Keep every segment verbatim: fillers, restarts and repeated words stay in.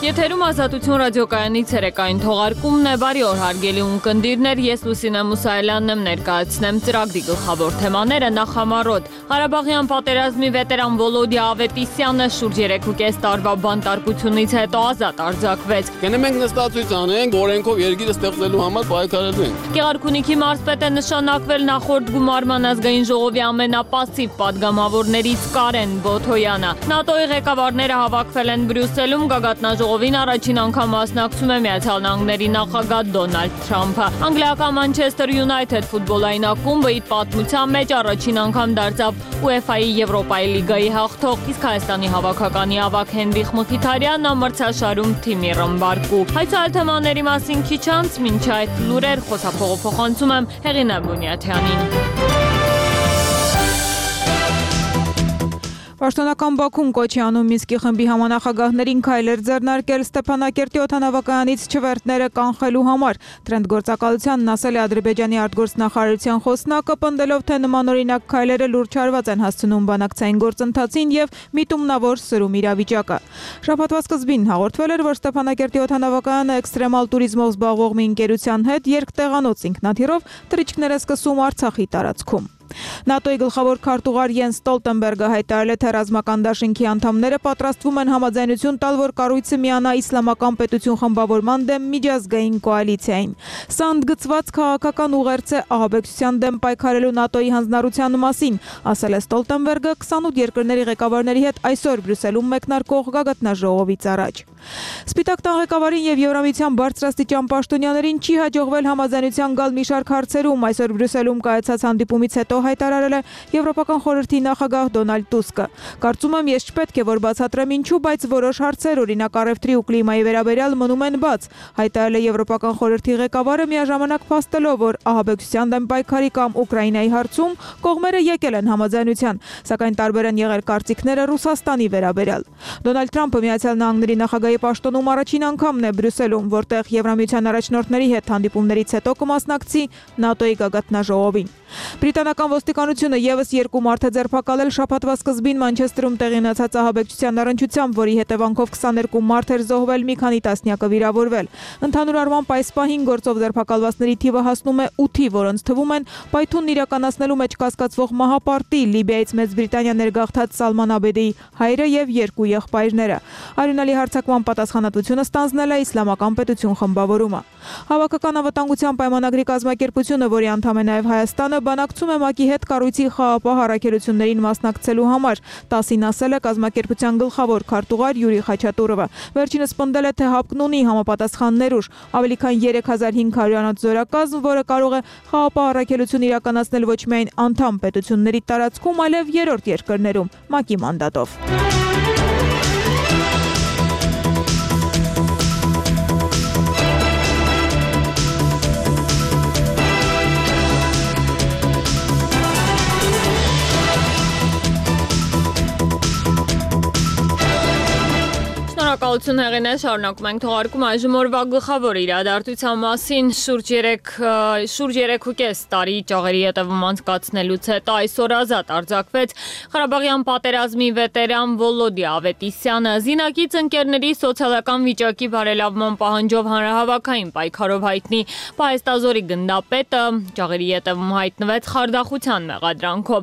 Եթերում Ազատություն ռադիոկայանի ցերեկային թողարկումն է, բարի օր հարգելի ունկնդիրներ, ես Լուսինե Մուսայելյանն եմ, ներկայացնեմ ծրագրի գլխավոր թեմաները նախամարոտ։ Ղարաբաղյան պատերազմի վետերան Վոլոդիա Ավետիսյանը շուրջ երեքուկես տարվա բանտարկությունից հետո ազատ արձակվեց։ Գնեմ ենք նստածույց անենք, օրենքով երկիրը ստեղծելու համար պայքարելու ենք։ Գեղարքունիքի մարզպետ է նշանակվել նախորդ գումարման ազգային ժողովի ամենապասիվ падգամավորներից Կարեն Բոթոյանը։ ՆԱՏՕ-ի ղեկավարները հավաքվել են Բրյուսելում, գագաթնաժողովին առաջին անգամ մասնակցում է Միացյալ Նահանգների նախագահ Դոնալդ Թրամփը։ Անգլիական Manchester United ֆուտբոլային ակումբը իր պատմության մեջ առաջին անգամ դարձավ UEFA-ի Եվրոպայի լիգայի հաղթող, իսկ Հայաստանի հավաքականի ավագ Հենրիխ Մխիթարյանն ամրցաշարում թիմի ռմբարկու։ Այս այլ թեմաների մասին քիչ անց, մինչ այդ լուրեր խոսափողը փոխանցում եմ Հեղինե Բունյաթյանին։ Պաշտոնական Բաքուն կոչ է անում Մինսկի խմբի համանախագահներին քայլեր ձեռնարկել Ստեփանակերտի օդանավակայանից չվերթները կանխելու համար։ Տրենդ գործակալությանն ասել է Ադրբեջանի արտգործնախարարության խոսնակը, պնդելով, թե նմանօրինակ քայլերը լուրջ հարված են հասցնում բանակցային գործընթացին եւ միտումնավոր սրում իրավիճակը։ Շաբաթվա սկզբին հաղորդվել էր, որ Ստեփանակերտի օդանավակայանը էքստրեմալ տուրիզմով զբաղվող մի ընկերության հետ երկտեղանոց ինքնաթիռով թռիչքներ է սկսում Արցախի տարածքում։ ՆԱՏՕ-ի գլխավոր քարտուղար Յենս Ստոլտենբերգը հայտարարել է, թե ռազմական դաշինքի անդամները պատրաստվում են համաձայնություն տալ, որ կառույցը միանա իսլամական պետություն խմբավորման դեմ միջազգային կոալիցիային։ Սա ընդգծված քաղաքական ուղերձ է ահաբեկչության դեմ պայքարելու ՆԱՏՕ-ի հանձնառության մասին, ասել է Ստոլտենբերգը քսանութ երկրների ղեկավարների հետ այսօր Բրյուսելում մեկնարկող գագաթնաժողովից առաջ։ Սպիտակ տան ղեկավարին եւ Եվրամիության բարձրաստիճան պաշտոնյաներին չի հաջողվել համաձայնության գալ մի շարք հարցերում, այսօր Բրյուսելում կայացած հանդիպումից հետո հայտարարել է Եվրոպական խորհրդի նախագահ Դոնալդ Տուսկը։ Կարծում եմ, ես չպետք է որ բացատրեմ ինչու, բայց որոշ հարցեր, օրինակ առևտրի ու կլիմայի վերաբերյալ մնում են բաց, հայտարարել է Եվրոպական խորհրդի ղեկավարը միաժամանակ փաստելով, որ ահաբեկչության դեմ պայքարի կամ Ուկրաինայի հարցում կողմերը եկել են համաձայնության, սակայն տարբեր են եղել կարծիքները Ռուսաստանի վերաբերյալ։ Դոնալդ Թրամփը Միացյալ Նահանգների նախագահի պաշտոնում առաջին անգամն է Բրյուսելում, որտեղ Եվրամիության առաջնորդների հետ հանդիպումներից հետո կմասնակցի ՆԱՏՕ-ի գագաթնաժողովին։ Բրիտանական ոստիկանությունը եւս երկու մարդ է ձերբակալել շաբաթվա սկզբին Մանչեսթերում տեղի ունեցած ահաբեկչության առնչությամբ, որի հետևանքով քսաներկու մարդ էր զոհվել, մի քանի տասնյակը վիրավորվել։ Ընդհանուր առմամբ այս պահին գործով ձերբակալվածների թիվը հասնում է ութի, որոնց թվում են պայթունն իրականացնելու մեջ կասկածվող մահապարտի Լիբիայից Մեծ Բրիտանիա ներգաղթած Սալման Աբեդեի հայրը եւ երկու եղբայրները։ Արյունալի հարձակման պատասխանատվությունը ստանձնել է Իսլամական պետություն խմբավորումը։ Հավաքական անվտանգության պայմանագրի կազմակերպությունը, որի անդամ է նաեւ Հայաստանը, բանակցում է ՄԱԿ-ի հետ կառույցի խաղաղապահ առաքելություններին մասնակցելու համար, տասին ասել է կազմակերպության գլխավոր քարտուղար Յուրի Խաչատուրովը։ Վերջինս պնդել է, թե ՀԱՊԿ-ն ունի համապատասխան ներուժ, ավելի քան երեք հազար հինգ հարյուրանոց զորակազմ, որը կարող է խաղաղապահ առաքելություն իրականացնել ոչ միայն անդամ պետությունների տարածքում, այլև երրորդ երկրներում ՄԱԿ-ի մանդատով։ Շնորհակալություն Հեղինե, շարունակում ենք թողարկում այժմ օրվա գլխավոր իրադարձության մասին շուրջ երեքուկես տարի ճաղերի հետևում անցկացնելուց հետո այսօր ազատ արձակվեց Ղարաբաղյան պատերազմի վետերան Վոլոդիա Ավետիսյանը։ Զինակից ընկերների սոցիալական վիճակի բարելավման պահանջով հանրահավաքային պայքարով հայտնի Պահեստազորի գնդապետը ճաղերի հետևում հայտնվեց խարդախության մեղադրանքով։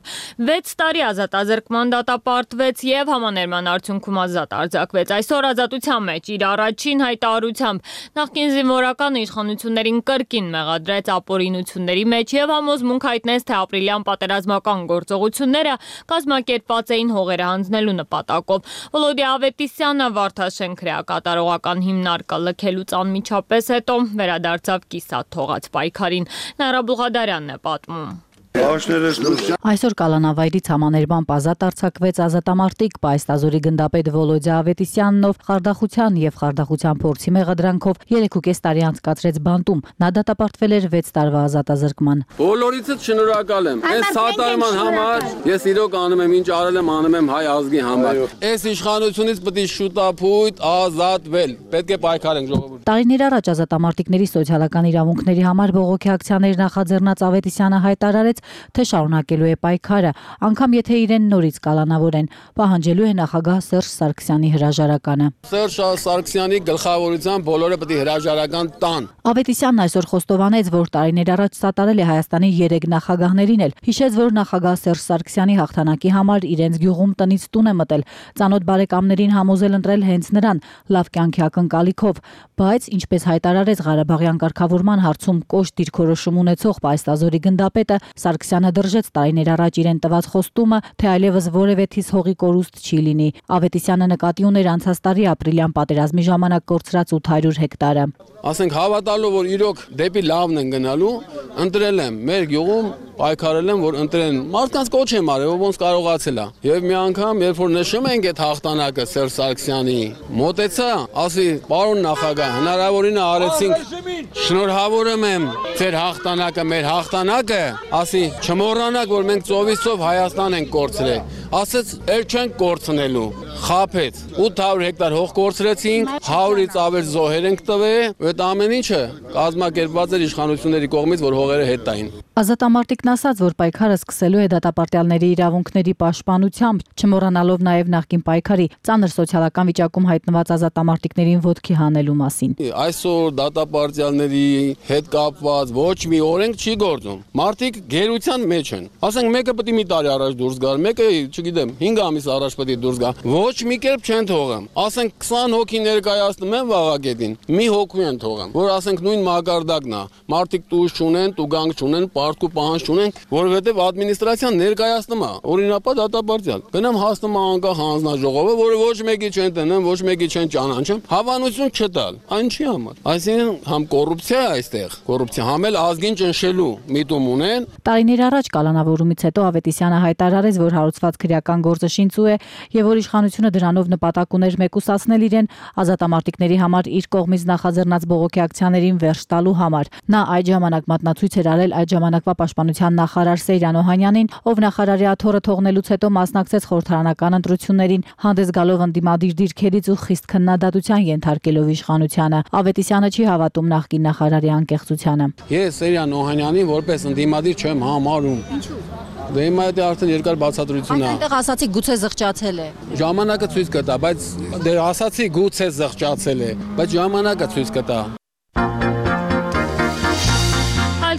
վեց տարի ազատազրկման դատապարտվեց եւ համաներման արդյունքում ազատ արձակվեց։ Այսօր ազատության մեջ իր առաջին հայտարարությամբ նախկին զինվորական իշխանություններին կրկին մեղադրեց ապօրինությունների մեջ եւ համոզմունք հայտնեց, թե ապրիլյան պատերազմական գործողությունները կազմակերպված էին հողերը հանձնելու նպատակով։ Վոլոդիա Ավետիսյանը Վարդաշեն քրեակատարողական հիմնարկը լքելուց անմիջապես հետո վերադարձավ կիսատ թողած պայքարին։ Նաիրա Բուղադարյանն է պատմում։ Այսօր կալանավայրից համաներմամբ ազատ արձակվեց ազատամարտիկ Պահեստազորի գնդապետ Վոլոդիա Ավետիսյանն, ով խարդախության եւ խարդախության փորձի մեղադրանքով երեքուկես տարի անցկացրեց բանտում։ Նա դատապարտվել էր վեց տարվա ազատազրկման։ Բոլորիցս շնորհակալ եմ։ Այս սատարման համար ես իրոք անում եմ, ինչ արել եմ, անում եմ հայ ազգի համար։ Այս իշխանությունից պետք է շուտապույտ ազատվել։ Պետք է պայքարենք ժողովուրդ։ Տարիներ առաջ ազատամարտիկների սոցիալական իրավունքների համար բողոքի ակցիաներ նախաձեռնած Ավետիսյանը հայտարարեց, հայտնեց, թե շարունակելու է պայքարը, անգամ եթե իրեն նորից կալանավորեն, պահանջելու է նախագահ Սերժ Սարգսյանի հրաժարականը։ Սերժ Սարգսյանի գլխավորությամբ բոլորը պետք է հրաժարական տան։ Ավետիսյանն այսօր խոստովանեց, որ տարիներ առաջ սատարել է Հայաստանի երեք նախագահներին էլ։ Հիշեց, որ նախագահ Սերժ Սարգսյանի հաղթանակի համար իրենց գյուղում տնից տուն է մտել, ծանոթ բարեկամներին համոզել ընտրել հենց նրան, լավ կյանքի ակնկալիքով, բայց ինչպես հայտարարեց Ղարաբաղյան կարգավորման հարցում կոշտ դիրքորոշում ունեցող Պայստազորի գնդապետը, Սարգսյանը դրժեց տարիներ առաջ իրեն տված խոստումը, թե այլևս որևէ թիզ հողի կորուստ չի լինի։ Ավետիսյանը նկատի ուներ անցած տարի ապրիլյան պատերազմի ժամանակ կորցրած ութ հարյուր հեկտարը։ Ասենք հավատալու, որ իրոք դեպի լավն են գնալու, ընտրել եմ մեր գյուղում, պայքարել եմ, որ ընտրեն։ Մարդկանց կոչ եմ արել, ոնց կարողացել է։ Եվ մի անգամ, երբ որ նշում ենք այդ հաղթանակը Սերժ Սարգսյանի, մոտեցա, ասի, պարոն նախագահ, հնարավորինը արեցինք, շնորհավորում եմ ձեր հաղթանակը, մեր հաղթանակը, ասի, չմոռանաք, որ մենք ծովից ծով Հայաստան ենք կորցրել։ Ասեց, էլ չենք կորցնելու, խաբեց, ութ հարյուր հեկտար հող կորցրեցինք, հարյուրից ավել զոհեր ենք տվել, այդ ամեն ինչը կազմակերպված էր իշխանությունների կողմից, որ հողերը հետ տային։ Ազատամարտիկն ասաց, որ պայքարը սկսելու է դատապարտյալների իրավունքների պաշտպանությամբ, չմոռանալով նաև նախկին պայքարի ծանր սոցիալական վիճակում հայտնված ազատամարտիկներին ոտքի հանելու մասին։ Այսօր դատապարտյալների հետ կապված ոչ մի օրենք չի գործում։ Մարդիկ գերության մեջ են։ Ասենք մեկը պետք է մի տարի առաջ դուրս գար, մեկը, չգիտեմ, հինգ ամիս առաջ պետք է դուրս գա։ Ոչ մի կերպ չեն թողում։ Ասենք քսան հոգի ներկայացնում են վաղագետին, մի հոգու են թողում, որ ասենք նույն մակարդակն է։ Մարդիկ տուժ չունեն, տուգանք չունեն, պարտքու պահանջ չունեն, որովհետև ադմինիստրացիան ներկայացնում է օրինապատ դատապարտյալ։ Գնամ հասնում է անկախ հանձնաժողովը, որը ոչ մեկի չեն տնեմ, ոչ մեկի չեն ճանաչում, հավանություն չտալ։ Այն չի համար։ Այսինքն համ կոռուպցիա է այստեղ, կոռուպցիա, համ էլ ազգին ճնշելու միտում ունեն։ Տարիներ առաջ կալանավորումից հետո Ավետիսյանը հայտարարեց, որ հարուցված քրեական գործը շինծու է եւ որ իշխանությունը դրանով նպատակ ուներ մեկուսացնել իրեն ազատամարտիկների համար իր կողմից նախաձեռնած բողոքի ակցիաներին վերջ տալու համար։ Նա այդ ժամանակ մատնացույց էր արել այդ ժամանակվա պաշտպանության նախարար Սեյրան Օհանյանին, ով նախարարի աթոռը թողնելուց հետո մասնակցեց խորհրդարանական ընտրություններին, հանդես գալով ընդդիմադիր դիրքերից ու խիստ քննադատության ենթարկելով իշխանությանը։ Ավետիսյանը չի հավատում նախկին նախարարի անկեղծությանը։ Ես Սեյրան Օհանյանին որպես ընդդիմադիր չեմ համարում։ Ինչու՞։ Դե հիմա դա արդեն երկար բացատրություն է։ Այնտեղ ասացի գուցե զղջացել է։ Ժամանակը ցույց կտա, բայց դե ասացի գուցե զղջացել է, բայց ժամանակը ցույց կտա։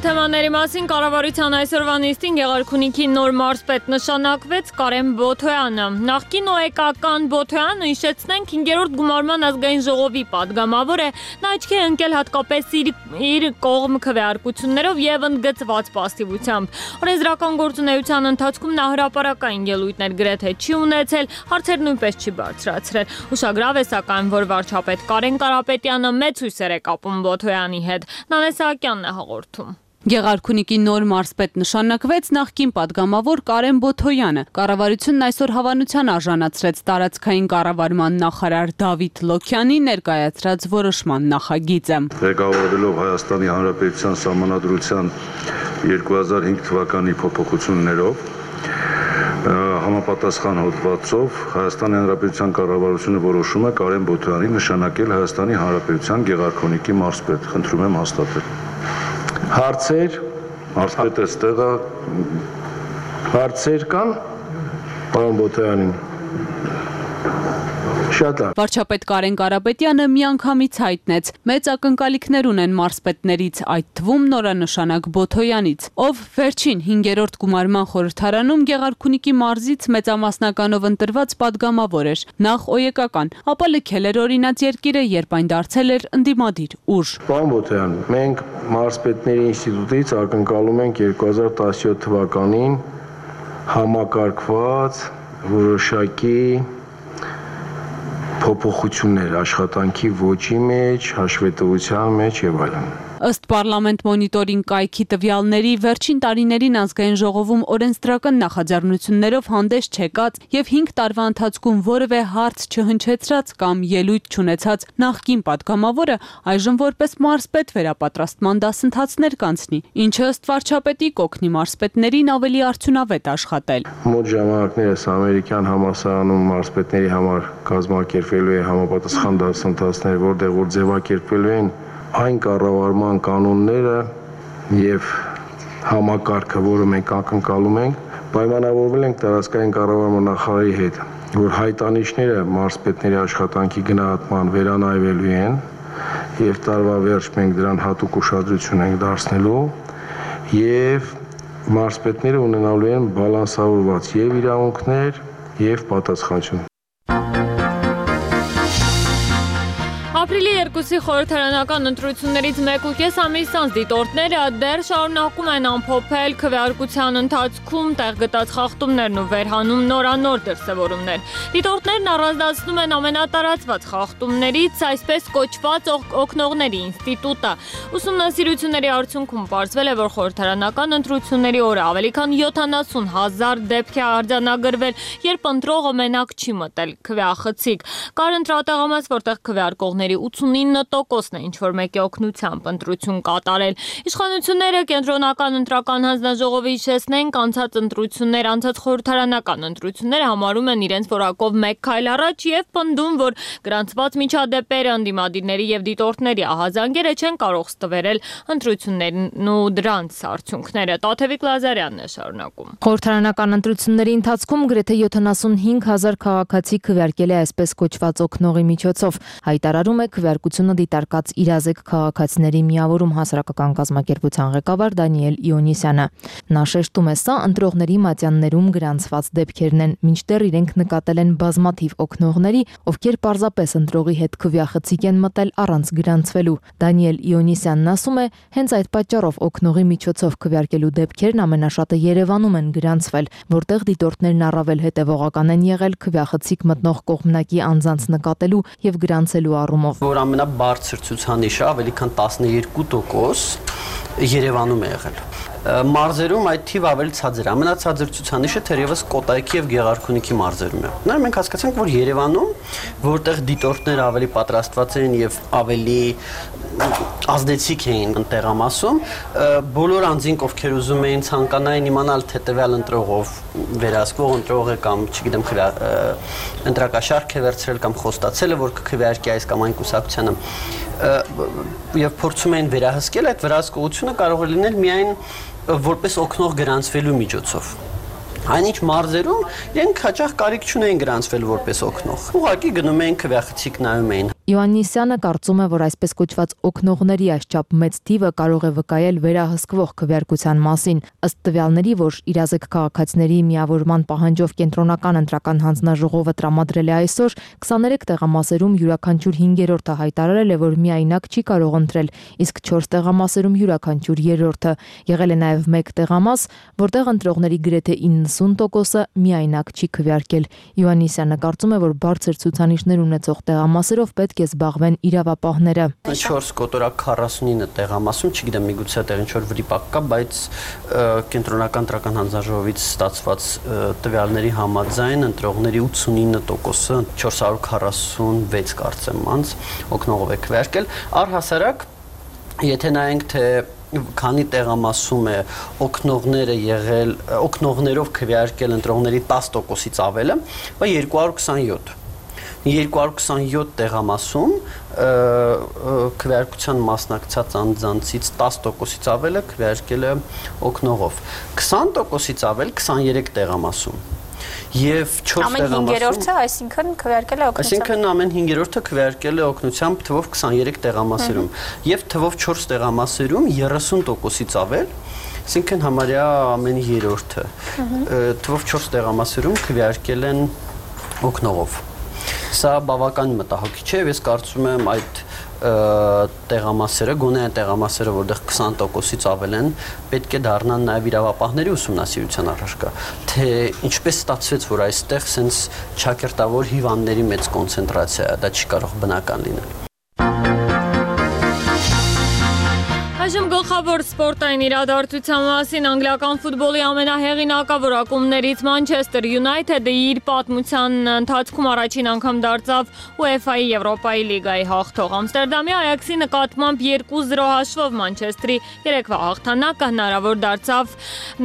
Թեմաների մասին կառավարության այսօրվա նիստին Գեղարքունիքի նոր մարզպետ նշանակվեց Կարեն Բոթոյանը։ Նախկին օեկական Բոթոյանը, հիշեցնենք, հինգերորդ գումարման ազգային ժողովի падգամավոր է, նա աչքի է ընկել հատկապես իր, իր կողմ քվեարկություններով եւ ընդգծված պասիվությամբ։ Օրենսդրական գործունեության ընթացքում նա հրապարակային ելույթներ գրեթե չի ունեցել, հարցեր նույնպես չի բարձրացրել։ Ուշագրավ է սակայն, որ վարչապետ Կարեն Կարապետյանը մեծ հույսեր է կապում Բոթոյանի հետ։ Նանե Սահակյանն է հաղորդում։ Գեղարքունիքի նոր մարզպետ նշանակվեց նախկին падգամավոր Կարեն Բոթոյանը։ Կառավարությունն այսօր հավանության արժանացրեց տարածքային կառավարման նախարար Դավիթ Լոքյանի ներկայացրած որոշման նախագիծը։ Ղեկավարելով Հայաստանի Հանրապետության Սահմանադրության երկու հազար հինգ թվականի փոփոխություններով համապատասխան հոդվածով Հայաստանի Հանրապետության կառավարությունը որոշում է Կարեն Բոթոյանի նշանակել Հայաստանի Հանրապետության Գեղարքունիքի մարզպետ։ Խնդրում եմ հաստատել։ Հարցեր, մարզպետը ստեղ է, հարցեր կան, պարոն Բոթոյանին։ Շատ լավ։ Վարչապետ Կարեն Կարապետյանը միանգամից հայտնեց. մեծ ակնկալիքներ ունեն մարզպետներից, այդ թվում նորանշանակ Բոթոյանից, ով վերջին հինգերորդ գումարման խորհրդարանում Գեղարքունիքի մարզից մեծամասնականով ընտրված падգամավոր էր, նախ օեկական, ապա լքել էր օրինաց երկիրը, երբ այն դարձել էր ընդդիմադիր ուժ։ Պարոն Բոթոյան, մենք մարզպետների ինստիտուտից ակնկալում ենք երկու հազար տասնյոթ թվականին համակարգված որոշակի փոփոխություններ աշխատանքի ոճի մեջ, հաշվետվության մեջ եւ այլն։ Ըստ Պարլամենտ մոնիտորինգ կայքի տվյալների, վերջին տարիներին ազգային ժողովում օրենսդրական նախաձեռնություններով հանդես չեկած եւ հինգ տարվա ընթացքում որևէ հարց չհնչեցրած կամ ելույթ չունեցած նախկին падգամավորը այժմ որպես մարզպետ վերապատրաստման դասընթացներ կանցնի, ինչը ըստ վարչապետի կօգնի մարզպետներին ավելի արդյունավետ աշխատել։ Մոտ ժամանակներս ամերիկյան համալսարանում մարզպետների համար կազմակերպվելու է համապատասխան դասընթացներ, որտեղ որ ձևակերպվելու են այն կառավարման կանոնները եւ համակարգը, որը մենք ակնկալում ենք, պայմանավորվել ենք տարածքային կառավարման նախարարի հետ, որ հայտանիշները մարզպետների աշխատանքի գնահատման վերանայվելու են եւ տարվա վերջ մենք դրան հատուկ ուշադրություն ենք դարձնելու եւ մարզպետները ունենալու են բալանսավորված եւ իրավունքներ եւ պատասխանատվություն։ Ապրիլի երկուսի խորհրդարանական ընտրություններից մեկ ու կես ամիս անց դիտորդները դեռ շարունակում են ամփոփել քվեարկության ընթացքում տեղ գտած խախտումներն ու վերհանում նորանոր դրսևորումներ։ Դիտորդներն առանձնացնում են ամենատարածված խախտումներից այսպես կոչված օգնողների ինստիտուտը։ Ուսումնասիրությունների արդյունքում պարզվել է, որ խորհրդարանական ընտրությունների օրը ավելի քան յոթանասուն հազար դեպք է արձանագրվել, երբ ընտրողը մենակ չի մտել քվեախցիկ։ Կար ընտրատեղամաս, որտեղ քվեարկողների ութսունինը տոկոսն է ինչ-որ մեկի օգնությամբ ընտրություն կատարել։ Իշխանությունները կենտրոնական ընտրական հանձնաժողովի հիշեցնենք անցած ընտրություններ, անցած խորհրդարանական ընտրությունները համարում են իրենց որակով մեկ քայլ առաջ եւ պնդում, որ գրանցված միջադեպերը, ընդդիմադիրների եւ դիտորդների ահազանգերը չեն կարող ստվերել ընտրություններն ու դրանց արդյունքները։ Տաթևիկ Լազարյանն է շարունակում։ Խորհրդարանական ընտրությունների ընթացքում գրեթե յոթանասունհինգ հազար քաղաքացի քվեարկել է այսպես կոչված օգնողի միջոցով։ Հայտարարում է քվեարկությունը դիտարկած իրազեկ քաղաքացիների միավորում հասարակական կազմակերպության ղեկավար Դանիել Իոնիսյանը։ Նա շեշտում է, սա ընտրողների մատյաններում գրանցված դեպքերն են, մինչդեռ իրենք նկատել են բազմաթիվ օգնողների, ովքեր պարզապես ընտրողի հետ քվեախցիկ են մտել առանց գրանցվելու։ Դանիել Իոնիսյանն ասում է, հենց այդ պատճառով օգնողի միջոցով քվեարկելու դեպքերն ամենաշատը Երևանում են գրանցվել, որտեղ դիտորդներն առավել հետևողական են եղել քվեախցիկ մտնող կողմնակի անձանց նկատելու եւ գրանցելու առումով։ Որ ամենաբարձր ցուցանիշը ավելի քան տասնյոթ տոկոս Երևանում է եղել։ Մարզերում այդ թիվը ավելի ցածր է։ Ամենացածր ցուցանիշը թերևս Կոտայքի եւ Գեղարքունիքի մարզերում է։ Նա մենք հասկացանք, որ Երևանում, որտեղ դիտորդները ավելի պատրաստված են եւ ավելի ազդեցիկ էին տեղամասում, բոլոր անձինք, ովքեր ուզում էին ցանկանային իմանալ, թե տվյալ ընտրողով վերահսկվող ընտրող է կամ, չգիտեմ, ընտրակաշարք է վերցրել կամ խոստացել է, որ կքվեարկի այս կամ այն կուսակցությանը, եւ փորձում էին վերահսկել, այդ վերահսկողությունը կարող է լինել միայն որպես օգնող գրանցվելու միջոցով։ Այնինչ մարզերում իրենք հաճախ կարիք չունեին գրանցվել որպես օգնող։ Ուղղակի գնում էին քվեախցիկ նայում էին։ Իոաննիսյանը կարծում է, որ այսպես կոչված օգնողների այսչափ մեծ թիվը կարող է վկայել վերահսկվող քվեարկության մասին։ Ըստ տվյալների, որ իրազեկ քաղաքացիների միավորման պահանջով կենտրոնական ընտրական հանձնաժողովը տրամադրել է այսօր, քսաներեք տեղամասերում յուրաքանչյուր հինգերորդը հայտարարել է, որ միայնակ չի կարող ընտրել, իսկ չորս տեղամասերում յուրաքանչյուր երրորդը։ Եղել է նաև մեկ տեղամաս, որտեղ ընտրողների գրեթե իննսուն տոկոսը միայնակ չի քվեարկել։ Իոաննիսյանը կարծում է, որ բարձր ցուցանիշներ ունեցող տեղամասերով պետք է զբաղվեն իրավապահները։ չորս կոտորակ քառասունինը տեղամասում, չգիտեմ, միգուցե այդտեղ ինչ-որ վրիպակ կա, բայց կենտրոնական ընտրական հանձնաժողովից ստացված տվյալների համաձայն ընտրողների ութսունինը տոկոսը, չորս հարյուր քառասունվեց կարծեմ անց օգնողով է քվեարկել։ Առհասարակ, եթե նայենք, թե քանի տեղամասում է օգնողները եղել, օգնողներով քվեարկել ընտրողների տասը տոկոսից ավելը, բայց երկու հարյուր քսանյոթ երկու հարյուր քսանյոթ տեղամասում քվեարկության մասնակցած անձանցից տասը տոկոսից ավելը քվեարկել է օգնողով, քսան տոկոսից ավել քսաներեք տեղամասում եւ չորս տեղամասում ամեն հինգերորդը, այսինքն քվեարկել է օգնությամբ։ Այսինքն ամեն հինգերորդը քվեարկել է օգնությամբ թվով քսաներեք տեղամասերում եւ թվով չորս տեղամասերում երեսուն տոկոսից ավել, այսինքն համարյա ամեն երրորդը թվով չորս տեղամասերում քվեարկել են օգնողով։ Սա բավական մտահոգիչ է, ես կարծում եմ այդ տեղամասերը, գոնե այն տեղամասերը, որտեղ քսան տոկոսից ավել են, պետք է դառնան նաև իրավապահների ուսումնասիրության առարկա, թե ինչպես ստացվեց, որ այստեղ սենց ճակերտավոր հիվանդների մեծ կոնցենտրացիա է, դա չի կարող բնական լինել։ Այժմ գլխավոր սպորտային իրադարձության մասին անգլիական ֆուտբոլի ամենահեղինակավոր ակումբներից Manchester United-ը իր պատմության ընթացքում առաջին անգամ դարձավ UEFA-ի Եվրոպայի լիգայի հաղթող։ Ամստերդամի Ajax-ի նկատմամբ երկու զրո հաշվով Manchester-ի երեկվա հաղթանակը հնարավոր դարձավ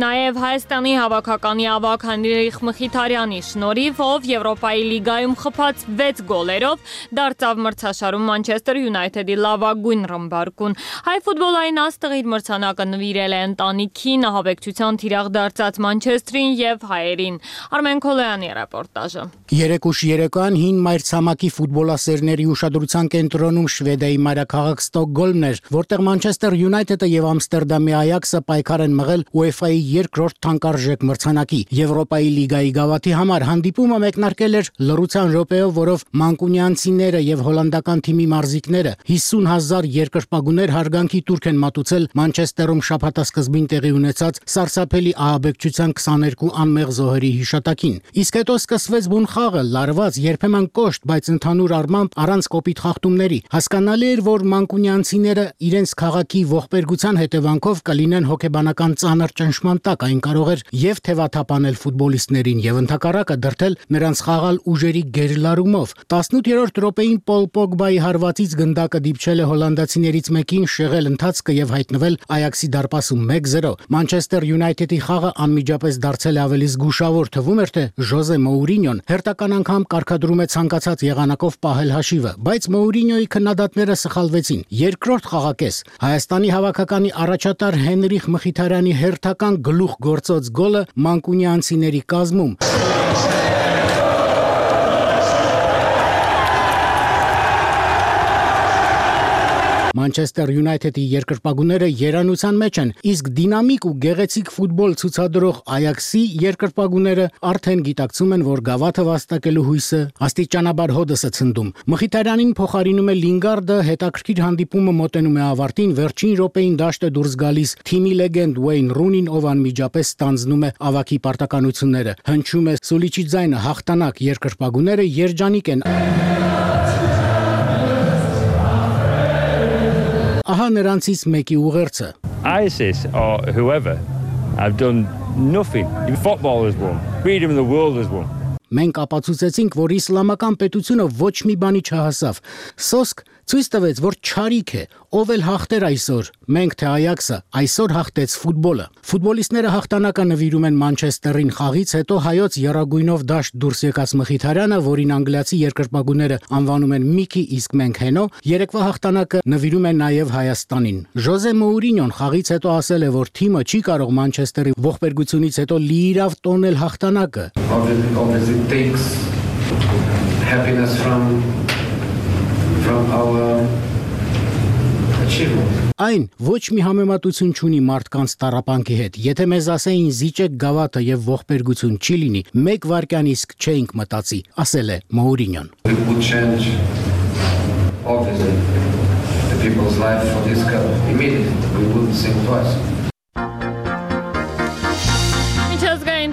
նաև Հայաստանի հավաքականի ավագ Հենրիխ Մխիթարյանի շնորհիվ, ով Եվրոպայի լիգայում խփած վեց գոլերով դարձավ մրցաշարում Manchester United-ի լավագույն ռմբարկուն։ Հայ ֆուտբոլային Սակայն աստղ իր մրցանակը նվիրել է ընտանիքին, ահաբեկչության թիրախ դարձած Մանչեստրին եւ հայերին։ Արմեն Քոլոյանի ռեպորտաժը։ Երեք ուշ երեկոյան հին մայրցամաքի ֆուտբոլասերների ուշադրության կենտրոնում Շվեդիայի մայրաքաղաք Ստոկգոլմն էր, որտեղ Մանչեսթեր Յունայթեդը եւ Ամստերդամի Այաքսը պայքար են մղել ՈՒԵՖԱ-ի երկրորդ թանկարժեք մրցանակի։ Եվրոպայի լիգայի գավաթի համար հանդիպումը մեկնարկել էր լռության րոպեով, որով մանկունյանցիները եւ հոլանդական թիմի մարզիկները հիսուն հազար երկրպագուներ հարգանքի տուրք են մատուցել Մանչեսթերում շաբաթասկզբին տեղի ունեցած սարսափելի ահաբեկչության քսաներկու անմեղ զոհերի հիշատակին։ Իսկ հետո սկսվեց բուն խաղը, լարված, երբեմն կոշտ, բայց ընդհանուր առմամբ առանց կոպիտ խախտումների։ Հասկանալի էր, որ մանկունյանցիները իրենց քաղաքի ողբերգության հետևանքով կլինեն հոգեբանական ծանր ճնշման տակ, այն կարող էր եւ թեվաթափանել ֆուտբոլիստներին եւ ընդհակառակը դրդել նրանց խաղալ ուժերի գերլարումով։ տասնութերորդ րոպեին Պոլ Պոգբայի հարվածից գնդակը դիպչել է հոլանդացիներից մեկին, շեղել ընթացքը եւ հայտնվել Այաքսի դարպասում մեկ զրո։ Մանչեսթեր Յունայթեդի խաղը անմիջապես դարձել է ավելի զգուշավոր, թվում էր, թե Ժոզե Մոուրինյոն հերթական անգամ կարգադրում է ցանկացած եղանակով պահել հաշիվը, բայց Մոուրինյոյի քննադատները սխալվեցին։ Երկրորդ խաղակես Հայաստանի հավաքականի առաջատար Հենրիխ Մխիթարյանի հերթական գլուխ գործոց գոլը մանկունյանցիների կազմում Մանչեսթեր Յունայթեդի երկրպագուները երանության մեջ են, իսկ դինամիկ ու գեղեցիկ ֆուտբոլ ցուցադրող Այաքսի երկրպագուները արդեն գիտակցում են, որ գավաթը վաստակելու հույսը աստիճանաբար հոդս է ցնդում։ Մխիթարյանին փոխարինում է Լինգարդը, հետաքրքիր հանդիպումը մոտենում է ավարտին, վերջին րոպեին դաշտ է դուրս գալիս թիմի լեգենդ Ուեյն Ռունին, ով անմիջապես ստանձնում է ավագի պարտականությունները։ Հնչում է սուլիչի ձայնը, հաղթանակ, երկրպագուները երջանիկ են։ Ահա նրանցից մեկի ուղերձը. ISIS or whoever have done nothing. Football has won. Freedom of the world has won. Մենք ապացուցեցինք, որ իսլամական պետությունը ոչ մի բանի չհասավ։ Սոսկ ցույց տվեց, որ չարիք է, ով էլ հաղթեր այսօր։ Մենք թե Այաքսը այսօր հաղթեց ֆուտբոլը։ Ֆուտբոլիստները հաղթանակը նվիրում են Մանչեսթերին խաղից հետո հայոց եռագույնով դաշտ դուրս եկած Մխիթարյանը, որին անգլիացի երկրպագուները անվանում են Միքի, իսկ մենք Հենո, երեկվա հաղթանակը նվիրում են նաև Հայաստանին։ Ժոզե Մոուրինյոն խաղից հետո ասել է, որ թիմը չի կարող Մանչեսթերի ողբերգությունից հետո լիիրավ տոնել հաղթանակը։ It takes happiness from from our achievement. Այն ոչ մի համեմատություն չունի մարդկանց տառապանքի հետ։ Եթե մեզ ասեին զիջեք գավաթը եւ ողբերգություն չի լինի, մեկ վայրկյան իսկ չէինք մտածի, ասել է Մոուրինյոն։ We would change obviously the people's life for this cup immediately. We wouldn't think twice.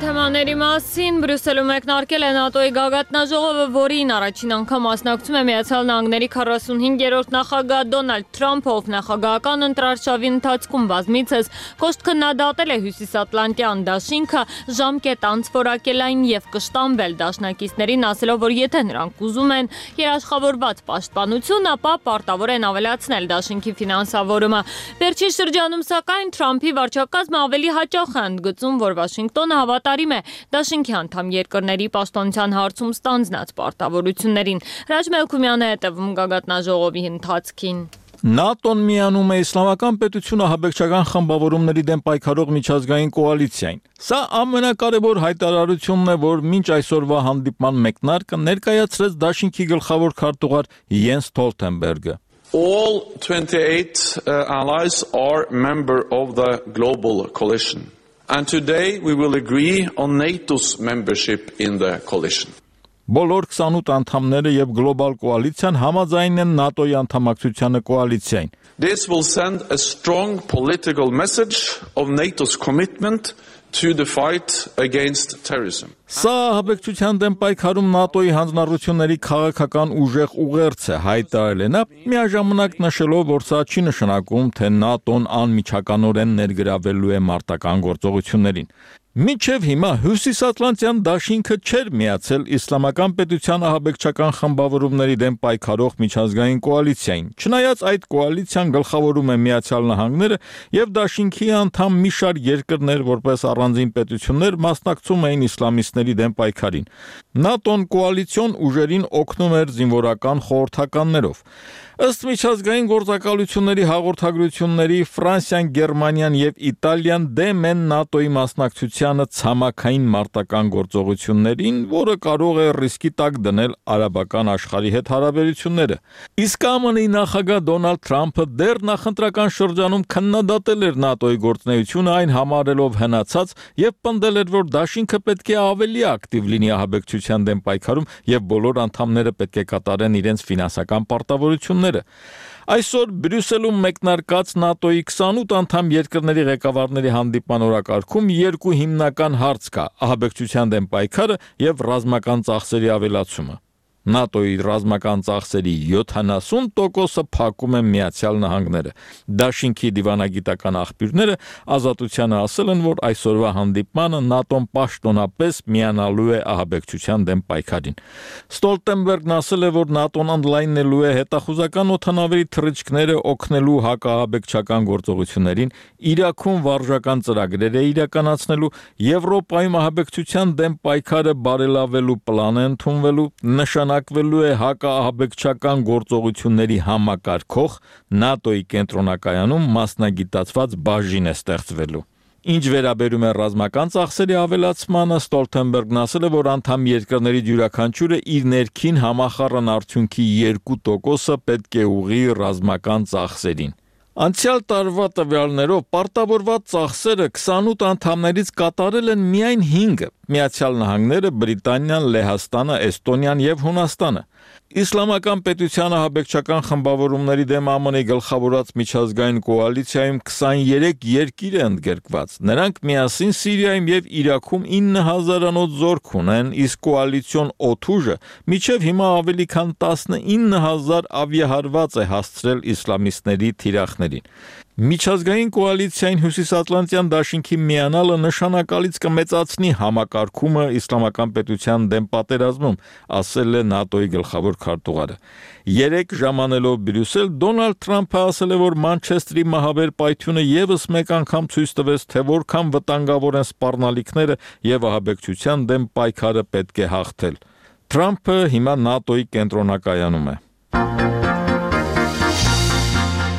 Թեմաների մասին Բրյուսելում մեկնարկել է ՆԱՏՕ-ի գագաթնաժողովը, որին առաջին անգամ մասնակցում է Միացյալ Նահանգների քառասունհինգերորդ նախագահ Դոնալդ Թրամփը, ով նախագահական ընտրարշավի ընթացքում բազմիցս կոշտ քննադատել է Հյուսիսատլանտյան դաշինքը, ժամկետ անց որակել այն եւ կշտամբել դաշնակիցներին, ասելով, որ եթե նրանք ուզում են երաշխավորված պաշտպանություն, ապա պարտավոր են ավելացնել դաշինքի ֆինանսավորումը։ Վերջին շրջանում սակայն Թրամփի վարչակազմը ավելի հաճախ է ընդգծում, որ Վաշինգտոնը հավատարիմ է դաշինքի անդամ երկրների պաշտպանության հարցում ստանձնած պարտավորություններին։ Ռաջ Մելքումյանը հետևում գագաթնաժողովի ընթացքին։ ՆԱՏՕ-ն միանում է իսլամական պետությունը ահաբեկչական խմբավորումների դեմ պայքարող միջազգային կոալիցիային։ Սա ամենակարևոր հայտարարությունն է, որ մինչ այսօրվա հանդիպման մեկնարկը ներկայացրեց դաշինքի գլխավոր քարտուղար Յենս Ստոլտենբերգը։ All twenty-eight uh, allies are member of the global coalition. And today we will agree on NATO's membership in the coalition. Բոլոր քսանութ անդամները եւ գլոբալ կոալիցիան համաձայն են ՆԱՏՕ-ի անդամակցությանը կոալիցիային։ This will send a strong political message of NATO's commitment to the fight against terrorism. Սա ահաբեկչության դեմ պայքարում ՆԱՏՕ-ի հանձնառությունների քաղաքական ուժեղ ուղերձ է, հայտարարել է նա, միաժամանակ նշելով, որ սա չի նշանակում, թե ՆԱՏՕ-ն անմիջականորեն ներգրավելու է մարտական գործողություններին։ Մինչև հիմա Հյուսիսատլանտյան դաշինքը չէր միացել իսլամական պետության ահաբեկչական խմբավորումների դեմ պայքարող միջազգային կոալիցիային, չնայած այդ կոալիցիան գլխավորում է Միացյալ Նահանգները եւ դաշինքի անդամ մի շարք երկրներ որպես առանձին պետություններ մասնակցում էին իսլամիստների դեմ պայքարին։ ՆԱՏՕ-ն կոալիցիոն ուժերին օգնում էր զինվորական խորհրդականներով։ Ըստ միջազգային գործակալությունների հաղորդագրությունների Ֆրանսիան, Գերմանիան եւ Իտալիան դեմ են ՆԱՏՕ-ի մասնակցությանը ցամաքային մարտական գործողություններին, որը կարող է ռիսկի տակ դնել արաբական աշխարհի հետ հարաբերությունները։ Իսկ ԱՄՆ-ի նախագահ Դոնալդ Թրամփը դեռ նախընտրական շրջանում քննադատել էր ՆԱՏՕ-ի գործունեությունը, այն համարելով հնացած եւ պնդել էր, որ դաշինքը պետք է ավելի ակտիվ լինի ահաբեկչության դեմ պայքարում եւ բոլոր անդամները պետք է կատարեն իրենց ֆինանսական պարտավորությունները։ Այսօր Բրյուսելում մեկնարկած ՆԱՏՕ-ի քսանութ անդամ երկրների ղեկավարների հանդիպման օրակարգում երկու հիմնական հարց կա՝ ահաբեկչության դեմ պայքարը եւ ռազմական ծախսերի ավելացումը։ ՆԱՏՕ-ի ռազմական ծախսերի յոթանասուն տոկոսը փակում է Միացյալ Նահանգները։ Դաշինքի դիվանագիտական աղբյուրները Ազատությանը ասել են, որ այսօրվա հանդիպմանը ՆԱՏՕ-ն պաշտոնապես միանալու է ահաբեկչության դեմ պայքարին։ Ստոլտենբերգն ասել է, որ ՆԱՏՕ-ն ընդլայնելու է հետախուզական օդանավերի թռիչքները օգնելու հակաահաբեկչական գործողություններին, Իրաքում վարժական ծրագրեր է իրականացնելու, Եվրոպայում ահաբեկչության դեմ պայքարը բարելավելու պլան է ընդունվելու, նշանակվելու է հակաահաբեկչական գործողությունների համակարգող ՆԱՏՕ-ի կենտրոնակայանում մասնագիտացված բաժին է ստեղծվելու։ Ինչ վերաբերում է ռազմական ծախսերի ավելացմանը, Ստոլտենբերգն ասել է, որ անդամ երկրների յուրաքանչյուրը իր ներքին համախառն արդյունքի երկու տոկոսը պետք է ուղղի ռազմական ծախսերին։ Անցյալ տարվա տվյալներով պարտավորված ծախսերը քսանութ անդամներից կատարել են միայն հինգը՝ Միացյալ Նահանգները, Բրիտանիան, Լեհաստանը, Էստոնիան եւ Հունաստանը։ Իսլամական պետության ահաբեկչական խմբավորումների դեմ ԱՄՆ-ի գլխավորած միջազգային կոալիցիայում քսաներեք երկիր է ընդգրկված։ Նրանք միասին Սիրիայում եւ Իրաքում ինը հազարանոց զորք ունեն, իսկ կոալիցիոն օդուժը մինչեւ հիմա ավելի քան տասնինը հազար ավիահարված է հասցրել իսլամիստների թիրախներին։ Միջազգային կոալիցիային Հյուսիսատլանտյան դաշինքի միանալը նշանակալից կմեծացնի համակարգումը իսլամական պետության դեմ պատերազմում, ասել է ՆԱՏՕ-ի գլխավոր քարտուղարը։ Երեք ժամանելով Բրյուսել, Դոնալդ Թրամփը ասել է, որ Մանչեստրի մահաբեր պայթյունը եւս մեկ անգամ ցույց տվեց, թե որքան վտանգավոր են սպառնալիքները եւ ահաբեկչության դեմ պայքարը պետք է հաղթել։ Թրամփը հիմա ՆԱՏՕ-ի կենտրոնակայանում է։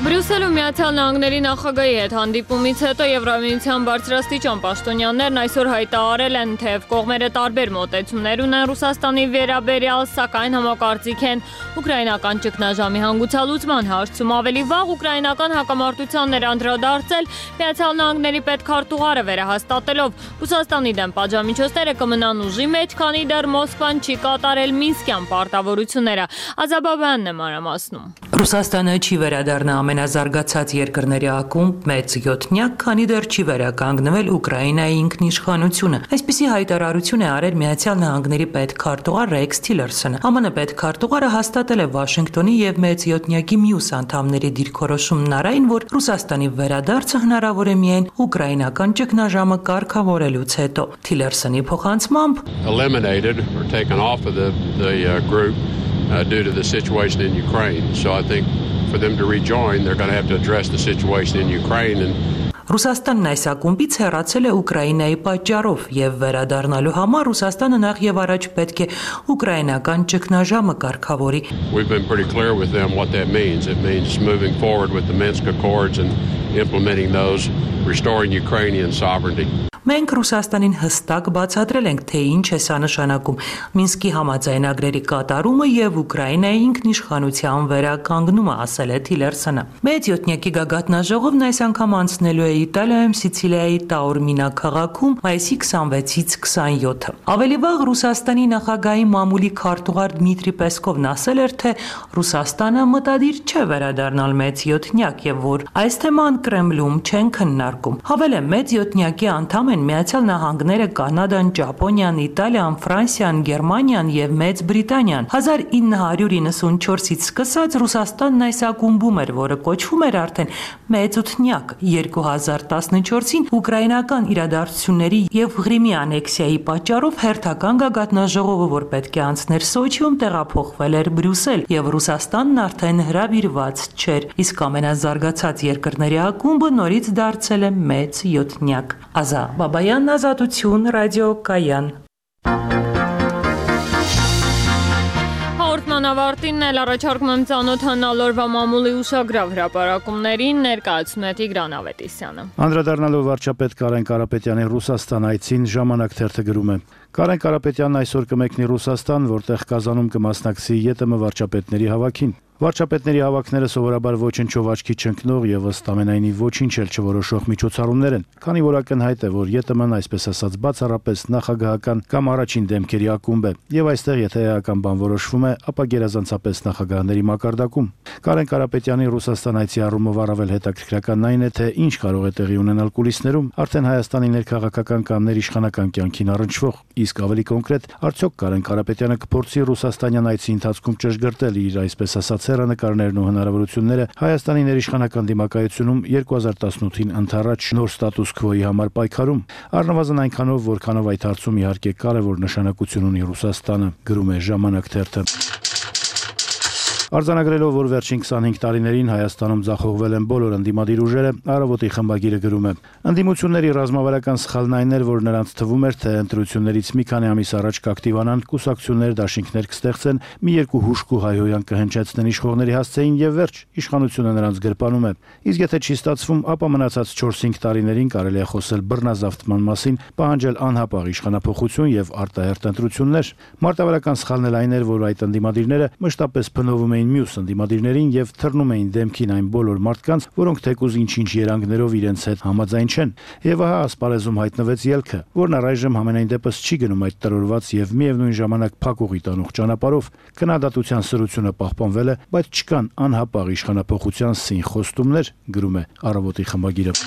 Բրյուսելում Միացյալ Նահանգների նախագահի հետ հանդիպումից հետո Եվրամիության բարձրաստիճան պաշտոնյաներն այսօր հայտարարել են, թե կողմերը տարբեր մոտեցումներ ունեն Ռուսաստանի վերաբերյալ, սակայն համակարծիք են ուկրաինական ճգնաժամի հանգուցալուծման հարցում։ Ավելի վաղ ուկրաինական հակամարտությանն էր անդրադարձել Միացյալ Նահանգների պետքարտուղարը, վերահաստատելով Ռուսաստանի դեմ պատժամիջոցները կմնան ուժի մեջ, քանի դեռ Մոսկվան չի կատարել Մինսկյան պարտավորությունները։ Ազաբաբյանն է մանրամասնում։ Ռուսաստանը չի վերադառնա ամենազարգացած երկրների ակումբ մեծ յոթնյակ, քանի դեռ չի վերականգնվել Ուկրաինայի ինքնիշխանությունը։ Այսպիսի հայտարարություն է արել Միացյալ Նահանգների պետքարտուղար Ռեքս Թիլերսոնը։ ԱՄՆ պետքարտուղարը հաստատել է Վաշինգտոնի եւ մեծ յոթնյակի մյուս անդամների դիրքորոշումն առայն, որ Ռուսաստանի վերադարձը հնարավոր է միայն ուկրաինական ճգնաժամը կարգավորելուց հետո։ Թիլերսոնի փոխանցմամբ eliminated or taken off of the the uh, group uh, due to the situation in Ukraine. So I think for them to rejoin, they're going to have to address the situation in Ukraine and Ռուսաստանն այս ակումբից հեռացել է Ուկրաինայի պատճառով եւ վերադառնալու համար Ռուսաստանը նախ եւ առաջ պետք է ուկրաինական ճգնաժամը կարգավորի։ We've been pretty clear with them what that means. It means moving forward with the Minsk Accords and implementing those, restoring Ukrainian sovereignty. Մենք Ռուսաստանին հստակ բացատրել ենք, թե ինչ է սա նշանակում՝ Մինսկի համաձայնագրերի կատարումը եւ Ուկրաինայի ինքնիշխանության վերականգնումը, ասել է Թիլերսոնը։ Մեծ յոթնյակի գագաթնաժողովն այս անգամ անցնելու է Իտալիայում Սիցիլիայի Տաուրմինա քաղաքում մայիսի քսանվեցից քսանյոթը։ Ավելի վաղ Ռուսաստանի նախագահի մամուլի քարտուղար Դմիտրի Պեսկովն ասել էր, թե Ռուսաստանը մտադիր չէ վերադառնալ մեծ յոթնյակ եւ որ այս թեման Կրեմլում չեն քննարկում։ քննարկում։ Հավելը մեծ յոթնյակի անդամ են Միացյալ Նահանգները, Կանադան, Ճապոնիան, Իտալիան, Ֆրանսիան, Գերմանիան եւ Մեծ Բրիտանիան։ հազար ինը հարյուր իննսունչորսից սկսած Ռուսաստանն այս ակումբում էր, որը կոչվում էր արդեն Մեծ ութնյակ։ երկու հազար տասնչորսին ուկրաինական իրադարձությունների եւ Ղրիմի անեքսիայի պատճառով հերթական գագաթնաժողովը, որ պետք է անցներ Սոչիում, տեղափոխվել էր Բրյուսել եւ Ռուսաստանն արդեն հրավիրված չէր, իսկ ամենազարգացած երկրների ակումբը նորից դարձել է մեծ յոթնյակ։ Ազա Բաբայան, Ազատություն, Ռադիո Կայան։ Հաղորդման ավարտին էլ առաջարկում եմ ծանոթանալ օրվա մամուլի ուշագրավ հրապարակումներին, ներկայացնում է Տիգրան Ավետիսյանը։ Անդրադառնալով վարչապետ Կարեն Կարապետյանի Ռուսաստան այցին ժամանակ թերթը գրում է. Կարեն Կարապետյանն այսօր կմեկնի Ռուսաստան, որտեղ Կազանում կմասնակցի ԵՏՄ վարչապետների հավաքին։ Վարչապետների հավաքները սովորաբար ոչնչով աչքի չընկնող եւ ըստ ամենայնի ոչինչ էլ չորոշող միջոցառումներ են, քանի որ ակնհայտ է, որ ԵՏՄ-ն այսպես ասած բացառապես նախագահական կամ առաջին դեմքերի ակումբ է, եւ այստեղ եթե էական բան որոշվում է, ապա գերազանցապես նախագահների մակարդակում։ Կարեն Կարապետյանի Ռուսաստան այցի առումով առավել հետաքրքրականն այն է, թե ինչ կարող է տեղի ունենալ կուլիսներում, արդեն Հայաստանի ներքաղաքական կամ ներիշխանական կյանքին առնչվող, իսկ ավելի կոնկրետ, արդյոք Կարեն Կարապետյանը կփորձի Ռուսաստանյան այցի ընթացքում ճշգրտել իր այսպես ասած հեռանկարներն ու հնարավորությունները Հայաստանի ներիշխանական դիմակայությունում երկու հազար տասնութին ընդառաջ նոր ստատուս քվոյի համար պայքարում, առնվազն այնքանով, որքանով այդ հարցում իհարկե կարևոր նշանակություն ունի Ռուսաստանը, գրում է Ժամանակ թերթը։ Արձանագրելով, որ վերջին քսանհինգ տարիներին Հայաստանում ձախողվել են բոլոր ընդդիմադիր ուժերը, Առավոտի խմբագիրը գրում է. Ընդդիմությունների ռազմավարական սխալն այն էր, որ նրանց թվում էր, թե ընտրություններից մի քանի ամիս առաջ կակտիվանան, կուսակցություններ, դաշինքներ կստեղծեն, մի երկու հուշկ ու հայհոյան կհնչեցնեն իշխողների հասցեին եւ վերջ, իշխանությունը նրանց գրպանում է։ Իսկ եթե չի ստացվում, ապա մնացած չորս-հինգ տարիներին կարելի է խոսել բռնազավթման մասին, պահանջել անհապաղ իշխանափոխություն եւ արտահերթ ընտրություններ։ Մարտավարական սխալն էլ այն էր, որ այդ ընդդիմադիրները մշտապես փնովում էին մյուս ընդդիմադիրներին եւ թռնում էին դեմքին այն բոլոր մարդկանց, որոնք թեկուզ ինչ-ինչ երանգներով իրենց հետ համաձայն չեն։ Եվ ահա ասպարեզում հայտնվեց ելքը, որն առայժմ համենայն դեպս չի գնում այդ տրորված եւ միևնույն ժամանակ փակուղի տանող ճանապարհով։ Քննադատության սրությունը պահպանվել է, բայց չկան անհապաղ իշխանափոխության սին խոստումներ, գրում է Առավոտի խմբագիրը։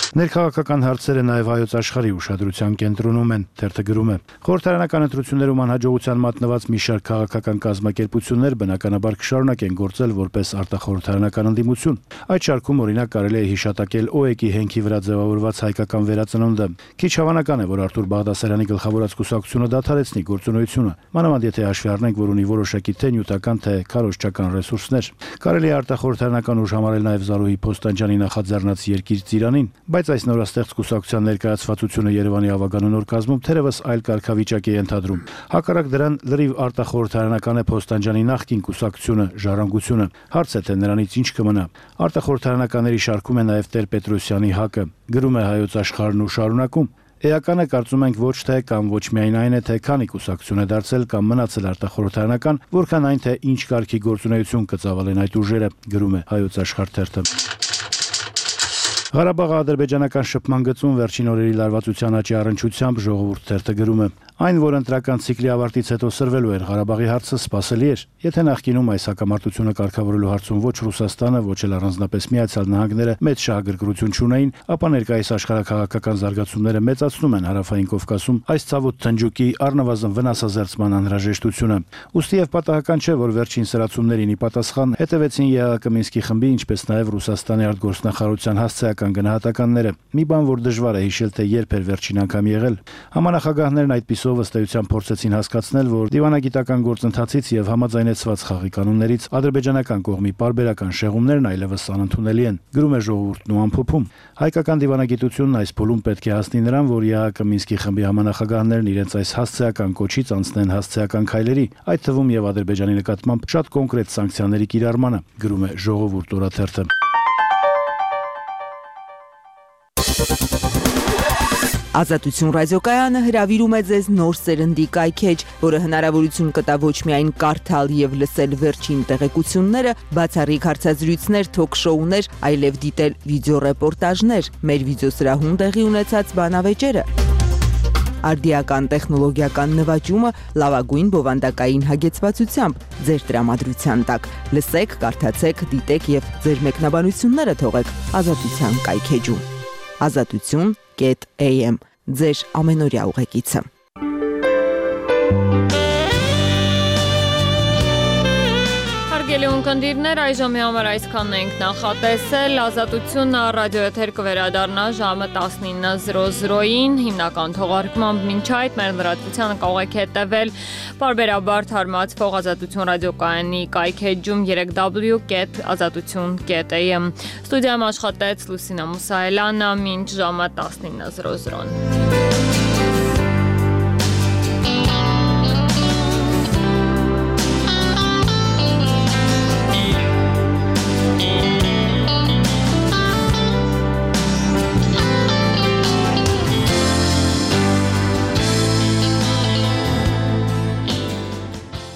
Ներքաղաքական հարցերը նաև Հայոց աշխարհի ուշադրության կենտրոնում են, թերթը գրում է. Խորհրդարանական ընտրություններում անհաջողության մատնված մի շարք քաղաքական կազմակերպություններ բնականաբար կշարունակեն գործել որպես արտախորհրդարանական ընդդիմություն։ Այդ շարքում օրինակ կարելի է հիշատակել ՕԵԿ-ի հենքի վրա ձևավորված հայկական վերածնունդը։ Քիչ հավանական է, որ Արտուր Բաղդասարյանի գլխավորած կուսակցությունը դադարեցնի գործունեությունը, մանավանդ եթե հաշվի առնենք, որ ունի որոշակի թե նյութական, թե քարոզչական ռեսուրսներ։ Կարելի է արտախորհրդարանական ուժ համարել նաև Զարուհի Փոստանջյանի նախաձեռնած Երկիր ծիրանին, բայց այս նորաստեղծ կուսակցության ներկայացվածությունը Երևանի ավագանու նոր կազմում թերևս այլ կարգավիճակ է ենթադրում։ Հակառակ դրան լրիվ արտախորհրդարանական է Փոստանջյանի նախկին կուսակցությունը, Ժառանգությունը։ Հարց է, թե նրանից ինչ կմնա։ Արտախորհրդարանականների շարքում է նաև Տեր-Պետրոսյանի ՀԱԿ-ը, գրում է Հայոց աշխարհն ու շարունակում։ Էականը կարծում ենք ոչ թե կամ ոչ միայն այն է, թե քանի կուսակցություն է դարձել կամ մնացել արտախորհրդարանական, որքան այն, թե ինչ կարգի գործունեություն կծավալեն այդ ուժերը, գրում է Հայոց աշխարհ թերթը։ Ղարաբաղի ադրբեջանական շփման գծում վերջին օրերի լարվածության աճի առնչությամբ Ժողովուրդ թերթը գրում է. Այն, որ ընտրական ցիկլի ավարտից հետո սրվելու էր Ղարաբաղի հարցը, սպասելի էր։ Եթե նախկինում այս հակամարտությունը կարգավորելու հարցում ոչ Ռուսաստանը, ոչ էլ առանձնապես Միացյալ Նահանգները մեծ շահագրգռություն չունեին, ապա ներկայիս աշխարհակաղակական զարգացումները մեծացնում են Հարավային Կովկասում այս ցավոտ թնջուկի առնվազն վնասազերծման անհրաժեշտությունը։ Ուստի եւ պատահական չէ, որ վերջին սրացումներին ի պատասխան հետևեցին ԵԱՀԿ Մինսկի խմբի, ինչպես նաեւ Ռուսաստանի արտգործնախարարության հասցեական գնահատականները։ Մի բան, որ դժվար է հիշել, թե երբ էր վերջին անգամ եղել։ Համանախագահներն այդպիսով ըստ էության փորձեցին հասկացնել, որ դիվանագիտական գործընթացից եւ համաձայնեցված խաղի կանոններից ադրբեջանական կողմի պարբերական շեղումներն այլևս անընդունելի են, գրում է Ժողովուրդն ու ամփոփում։ Հայկական դիվանագիտությունն այս փուլում պետք է հասնի նրան, որ ԵԱՀԿ Մինսկի խմբի համանախագահներն իրենց այս հասցեական կոչից անցնեն հասցեական քայլերի, այդ թվում եւ Ադրբեջանի նկատմամբ շատ կոնկրետ սանկցիաների կիրառմանը, գրում է Ժողովուրդ օրաթերթը։ Ազատություն ռադիոկայանը հրավիրում է ձեզ նոր սերնդի կայքեջ, որը հնարավորություն կտա ոչ միայն կարդալ եւ լսել վերջին տեղեկությունները, բացառիկ հարցազրույցներ, թոք-շոուներ, այլև դիտել վիդեոռեպորտաժներ, մեր վիդեոսրահում տեղի ունեցած բանավեճերը։ արդիական տեխնոլոգիական նվաճումը լավագույն բովանդակային հագեցվածությամբ ձեր տրամադրության տակ։ Լսեք, կարդացեք, դիտեք եւ ձեր մեկնաբանությունները թողեք Ազատության կայքեջում։ ազատություն կետ էյ էմ ձեր ամենօրյա ուղեկիցը։ Հարգելի ունկնդիրներ, այժմի համար այսքանն ենք նախատեսել։ Ազատությունը ռադիոեթեր կվերադառնա ժամը տասնինը զրո զրոյին, հիմնական թողարկմամբ մինչ այդ մեր լրատվությանը կարող եք հետևել պարբերաբար թարմացվող Ազատություն ռադիոկայանի կայքեջում երեք դաբլյու կետ ազատություն կետ էյ էմ։ Ստուդիայում աշխատեց Լուսինա Մուսայելյանը, մինչ ժամը տասնինը զրո զրոն։